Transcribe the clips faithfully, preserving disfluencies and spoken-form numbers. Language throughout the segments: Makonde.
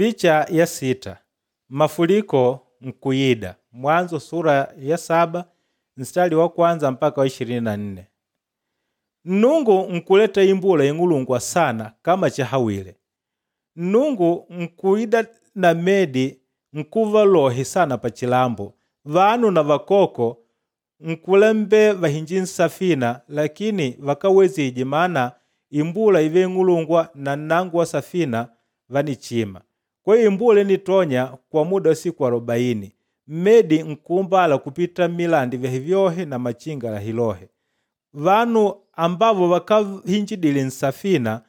Picha ya sita mafuliko nkuyida Mwanzo sura ya saba mstari wa kwanza mpaka wa ishirini na nne. Nnungu nkuleta imbula ing'ulungwa sana kama chahawile. Nnungu nkuida na medi nkuva lohe sana pachilambo, vanu na vakoko nkulembe vahinji nsafina lakini vakawezije maana imbula ive ing'ulungwa na nnango wa safina vanichima. Kwa hiyo imbula initonya kwa muda wa siku arobaini. Mmedi nkuumbala kupita milandi vyahe vyohe na machinga lahilohe. Vanu ambavo vakahinjidile nsafina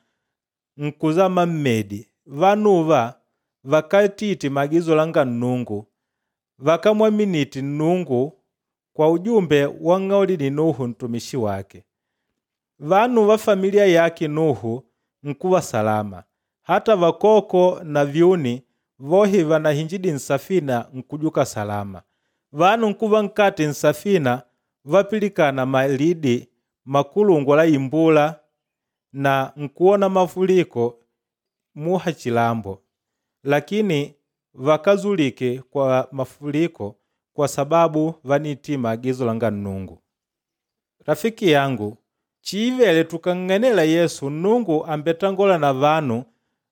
nkuzama mmedi. Vanuva vakatiti maagizo langa Nnungu, vakamwaminiti Nnungu kwa ujumbe wang'aulidi Nuhu ntumishi wake. Vanu va familia yake Nuhu nkuva salama. Hata vakoko na vyuni vohe vanahinjidi nsafina nkujuka salama. Vanu nkuva nkati nsafina vapilikana malidi makulungwa la imbula na nkuona mafuliko muha chilambo. Lakini vakazulike kwa mafuliko kwa sababu vaniti maagizo langa Nnungu. Rafiki yangu, chiivele tukang'anela Yesu Nnungu ambetangola na vanu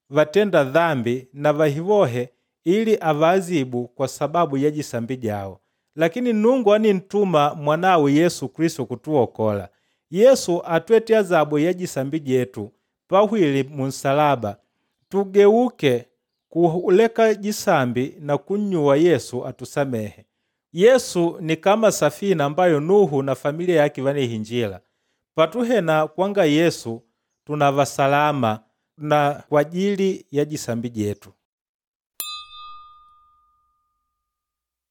vatenda dhambi na vahivohe ili avaazibu kwa sababu ya jisambi jao. Lakini Nnungu anintuma mwanawe Yesu Kristo kutuokola. Yesu atwete azabu ya jisambi jetu pahwile munsalaba. Tugeuke kuleka jisambi na kunnyuwa Yesu atusamehe. Yesu ni kama safina ambayo Nuhu na familia yake vanihinjila. Patuhena kwanga Yesu tunava salama na kwa ajili ya jisambi jetu.